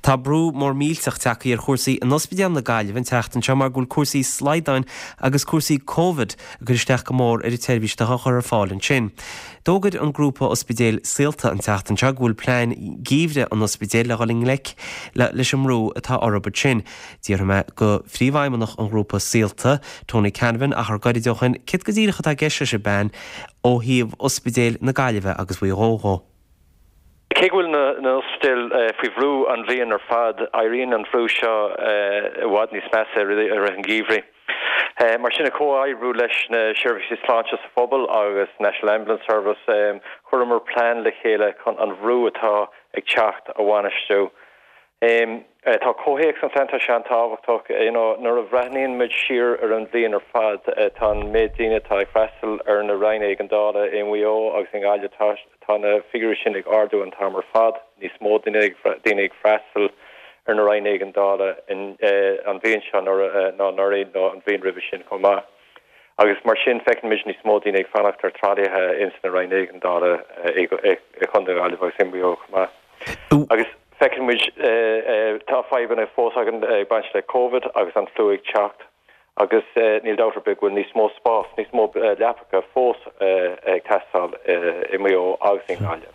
Tá brú mór millteach tagtha ar chúrsaí in Ospidéal na Gaillimhe an tseachtain seo mar go bhfuil cúrsaí slaghdáin agus cúrsaí Covid ag cur isteach go mór ar an tseirbhís atá á chur ar fáil ansin. D'fhógair an grúpa ospidéil Saolta an tseachtain seo go bhfuil plean geimhridh an ospidéil le dhul i ngleic leis an mbrú atá orthu ansin. D'fhiafraigh mé go Phríomhfheidhmeannach an ghrúpa Saolta, Tony Canavan, achar gairid ó shin céard go díreach atá i gceist leis an bplean ó thaobh Ospidéil na Gaillimhe agus Mhaigh Eo dhó. Cé go bhfuil na hospidéil faoi bhrú an bhliain ar fad, éiríonn an bhrú seo i bhfad níos measa i rith an gheimhridh. Mar sin, i comhoibriú leis na seirbhísí sláinte sa phobal agus National Ambulance Service, chuireamar plean le chéile chun an bhrú atá ag teacht a bhainistiú. Tá comhthéacs an phlean, tá sé an-tábhachtach. You know, nuair a bhreathnaíonn muid siar ar an bhliain ar fad, tá an méid daoine atá ag freastal ar na Roinn Éigeandála i Maigh Eo agus i nGaillimh, tá, tá na figiúirí sin ag ardú an t-am ar fad. Níos mó daoine ag, daoine ag freastal ar na Roinn Éigeandála in, an bhliain seo ná anuraidh nó an bhliain roimhe sin chomh maith. Agus mar sin feiceann muid níos mó daoine ag fanacht ar tralaithe ins na Roinn Éigeandála i gContae na Gaillimhe agus i Maigh Eo chomh maith. Agus feiceann muid tá fadhbanna fós againn ag baint le Covid agus an fliú ag teacht agus níl dabht ar bith go bhfuil níos mó spás, níos mó leapacha fós ag teastáil i Maigh Eo agus i nGaillimh.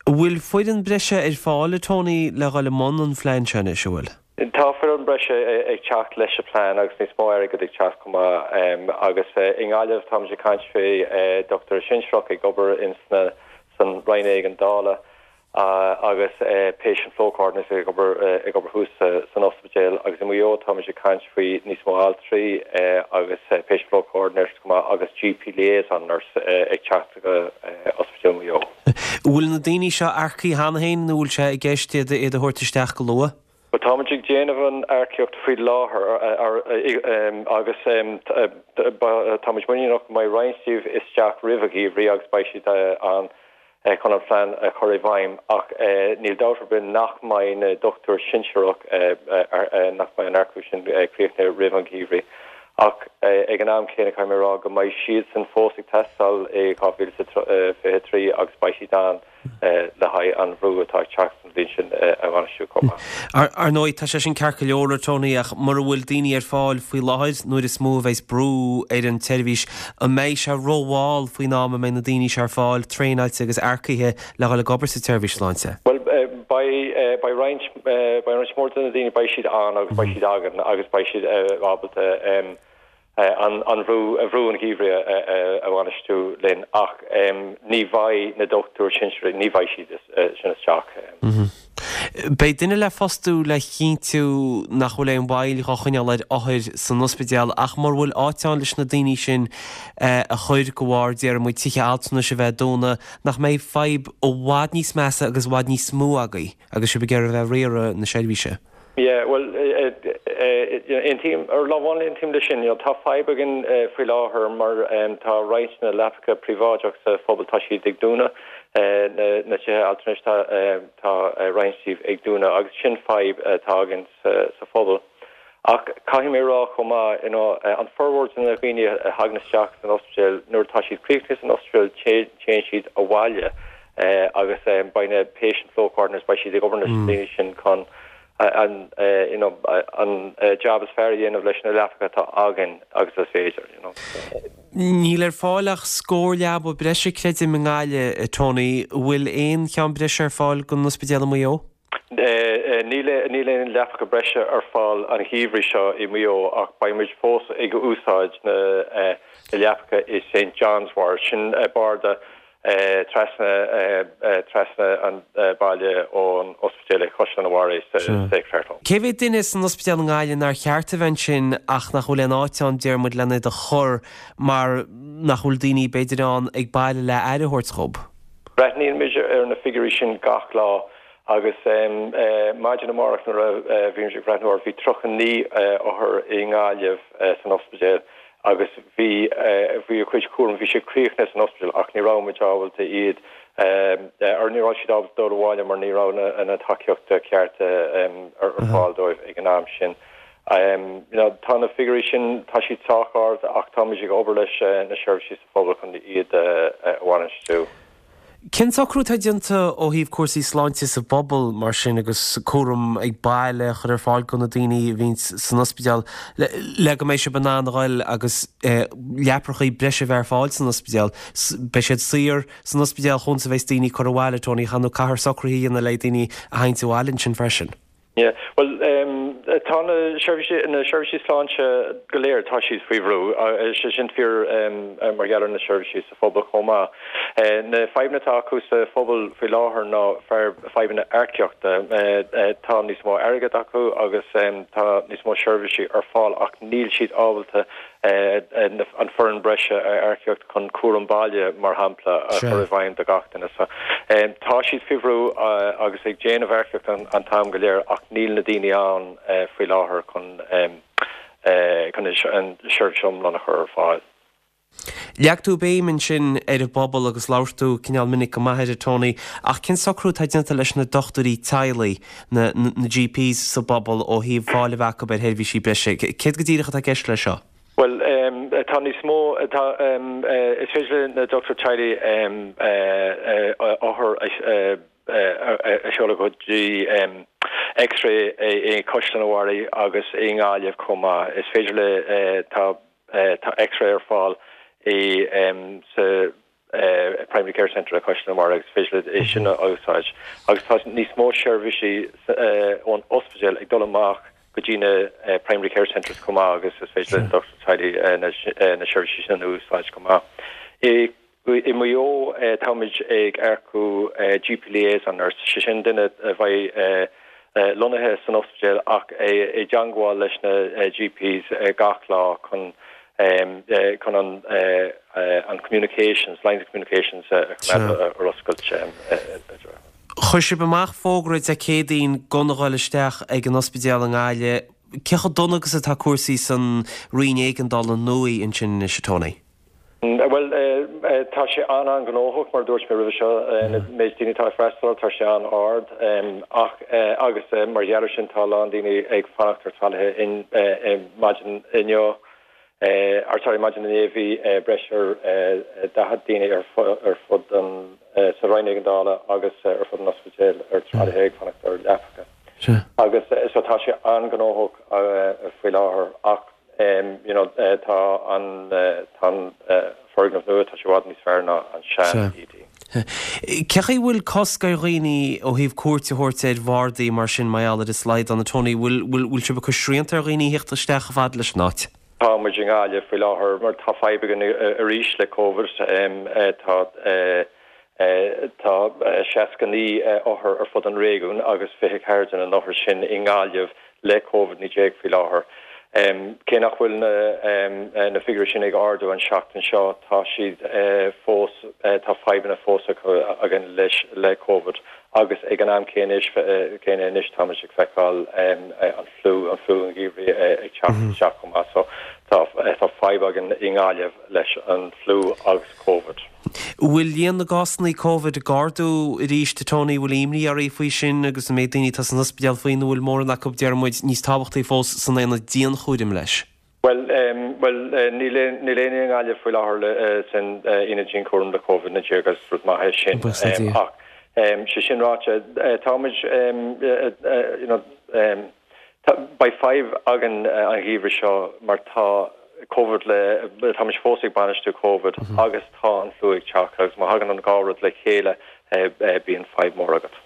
An bhfuil foireann breise ar fáil, a Tony, le dhul i mbun an phlean seo anois, an bhfuil? Tá foireann breise ag teacht leis an plean agus níos mó airgid ag teacht chomh maith. Agus i nGaillimh táimid ag caint faoi dochtúir sinsearach ag obair ins na san Roinn Éigeandála agus patient flow coordinator ag obair ag obair thuas san ospidéal agus i Maigh Eo táimid ag caint faoi níos mó altraí agus patient flow coordinators chomh maith agus GP liaison nurse ag teacht go Ospidéal Mhaigh Eo. An bhfuil na daoine seo earcaithe cheana féin nó bhfuil sé i gceist iad a thabhairt isteach go luath? Bhuel, táimid ag déanamh an earcaíocht faoi láthair agus táimid muiníneach go mbeidh roinnt díobh isteach roimh an gheimhreadh agus beidh siad ann chun an plean a chur i bhfeidhm ach níl dabht ar bith nach mbeidh na dochtúir sinsearach, nach mbeidh an earcú sin críochnaithe roimh an gheimhreadh. Ach ag an am céanna caithfidh mé a rá go mbeidh siadsan fós ag teastáil i 2023 agus beidh siad ann. le haghaidh an bhrú atá ag teacht an bhliain sin a bhainistiú chomh maith. Ar ndóigh, tá sé sin ceart go leor, a Tony, ach mura bhfuil daoine ar fáil faoi láthair, nuair is mó a bheas brú ar an tseirbhís, an mbeidh sé rómhall faoin am a mbeidh na daoine seo ar fáil, traenáilte agus earcaithe le dhul ag obair sa tseirbhís sláinte? Bhuel, beidh, beidh roinnt, beidh roinnt mhór de na daoine, beidh siad ann agus beidh siad againn agus beidh siad ábalta an bhrú, brú an gheimhridh a bhainistiú linn ach ní bheidh na dochtúir sinsearaigh, ní bheidh siad sin isteach. Beidh duine le fostú le chinntiú nach bhfuil aon mhoill dhá choinneáil ar othair san ospidéal ach mura bhfuil áit ann leis na daoine sin a chur de bharr, déarfaidh muid, tithe altranais a bheith dúnadh, nach mbeidh fadhb i bhfad níos measa agus i bhfad níos mó agaibh agus sibh ag iarraidh a bheith ag riaradh na seirbhíse? Yeah, bhuel, aontaím, ar lámh amháin aontaím leis sin. You know, tá fadhb againn faoi láthair mar tá roinnt na leapacha príobháideach sa phobal, tá siad ag dúnadh, na tithe altranais, tá tá roinnt díobh ag dúnadh agus sin fadhb atá againn sa phobal. Ach caithfidh mé a rá chomh maith, you know, an formhór de na dhaoine a thagann isteach san ospidéal, nuair atá siad críochnaithe san ospidéal, téann siad abhaile. agus beidh na patient flow coordinators, beidh siad ag obair leis na daoine sin chun an you know an jab is fearr a dhéanamh leis na leapacha atá againn agus is féidir, you know. Níl ar fáil ach scór leaba breise, creidim, i nGaillimh, Tony. An bhfuil aon cheann breise ar fáil don ospidéal i Maigh Eo? Níl níl aon leapacha breise ar fáil an gheimhreadh seo i Maigh Eo ach beidh muid fós ag úsáid na leapacha i St John's Ward, sin barda trasna trasna an baile ón ospidéal ag Caisleán an Bharraigh sa Sacred Heart Home. Cé mhéad duine san ospidéal i nGaillimh nár cheart a bheith ansin ach nach bhfuil aon áit ann, deir muid, len iad a chur mar nach bhfuil daoine b'fhéidir ann ag baile le aire a thabhairt dhób? Breathnaíonn muid ar na figiúirí sin gach lá agus maidin amárach nuair a bhí muid ag breathnú air bhí 39 othar i nGaillimh san ospidéal agus bhí, bhí a cuid cúraim, bhí siad críochnaithe san ospidéal ach ní raibh muid ábalta iad, or ní raibh siad ábalta dul abhaile mar ní raibh na, na tacaíochta cearta ar fáil dóibh ag an am sin. You know, tá na figiúirí sin, tá siad sách ard ach táimid ag obair leis na seirbhísí sa phobal chun iad a bhainistiú. Cén socrú atá déanta ó thaobh cúrsaí sláinte sa bpobal mar sin agus cúram ag baile a chur ar fáil do na daoine a bhíonns san ospidéal le go mbeidh sibh in ann a ghoil agus leaprachaí breise a bheith ar fáil san ospidéal? Beidh siad saor san ospidéal chomh fada is a bheas daoine curtha abhaile, Tony, nó caithfear socruithe a dhéanamh le daoine a tharraingt abhaile ansin freisin. Yeah, bhuel, tá na seirbhísí, na seirbhísí sláinte go léir, tá siad faoi bhrú. Sé sin fíor mar gheall ar na seirbhísí sa phobal chomh maith. Na fadhbanna atá acu sa phobal faoi láthair ná fadhbanna earcaíochta. Tá níos mó airgead acu agus tá níos mó seirbhísí ar fáil ach níl siad ábalta an foireann breise a earcaíocht chun cúram baile, mar shampla, a chur i bhfeidhm do gach duine. So, tá siad faoi bhrú agus ag déanamh earcaíocht an t-am go léir ach níl na daoine ann faoi láthair chun chun an seirbhís iomlán a chur ar fáil. Leag tú béim ansin ar an bpobal agus labhair tú cineál minic go maith air, a Tony, ach cén socrú atá déanta leis na dochtúirí teaghlaigh, na GPs sa bpobal ó thaobh fáil a bheith acu ar sheirbhísí breise. Céard go díreach atá i gceist leis seo? Bhuel, tá níos mó, tá, is féidir le na dochtúirí teaghlaigh othair a sheoladh go dtí X-ray i gCaisleán an Bharraigh agus i nGaillimh chomh maith. Is féidir le, tá, tá X-ray ar fáil i, sa, Primary Care Centre i Caisleán an Bharraigh agus is féidir leo é sin a úsáid. Agus tá níos mó seirbhísí ón ospidéal ag dul amach go dtí na Primary Care Centres chomh maith agus is féidir le dochtúir teaghlaigh na seirbhísí sin a úsáid chomh maith. I Maigh Eo táimid ag earcú GP Liaison Nurse, sé sin duine a bheidh lonnaithe san ospidéal ach i dteangmháil leis na GPs gach lá chun chun an an communications, lines of communications a choimeád ar oscailt. Chuir sibh amach fógra Dé Céadaoin gan a dhul isteach ag an ospidéal i nGaillimh. Cé chomh dona agus atá cúrsaí san Roinn Éigeandála nua ansin anois, a Tony? Bhuel, tá sé an-an-ghnóthach, mar a dúirt mé roimhe seo, na méid daoine atá ag freastal, tá sé an-ard. Ach, agus mar gheall ar sin, tá a lán daoine ag fanacht ar tralaithe maidin inniu, or sorry, maidin inné bhí breis ar 40 daoine ar fud an, sa Roinn Éigeandála agus ar fud an ospidéil ar tralaithe ag fanacht ar leapacha. Agus so tá sé an-ghnóthach faoi láthair ach, you know, tá an, tá an foirgneamh nua, tá sé i bhfad níos fearr ná an sean ED. Cé chaoi a bhfuil cosc ar dhaoine ó thaobh cuairt a thabhairt ar bhardaí mar sin mar gheall ar an slaghdán, a Tony, bhfuil, bhfuil, bhfuil sibh ag cur srianta ar dhaoine a theacht isteach chomh fada leis an áit? Tá muid i nGaillimh faoi láthair mar tá fadhb againn arís le Covid. Tá, tá 69 othar ar fud an réigiúin agus 24 de na n-othar sin i nGaillimh le Covid-19 faoi láthair. Cé nach bhfuil na figiúirí sin ag ardú an seachtain seo, tá siad fós, tá fadhbanna fós againn leis, le Covid agus ag an am céanna céanna anois táimid ag feiceáil an fliú, an fliú an gheimhridh ag teacht isteach chomh maith. So tá, tá fadhb againn i nGaillimh leis an fliú agus Covid. Bhfuil líon na gcásanna Covid ag ardú arís, a Tony? Bhfuil imní oraibh faoi sin agus an méid daoine atá san ospidéal faoi nó bhfuil mórán acu, déarfaidh muid, níos tábhachtaí fós, san aonad dianchúraim leis? Bhuel, bhuel, níl níl éinne i nGaillimh faoi láthair san aonad dianchúraim le Covid-19 agus rud maith é sin. Buíochas le Dia. Ach, sé sin ráite, táimid, you know, Beidh fadhb againn an gheimhreadh seo mar tá Covid le, táimid fós ag bainistiú Covid agus tá an fliú ag teacht agus má thagann an dhá rud le chéile bíonn fadhb mór agat.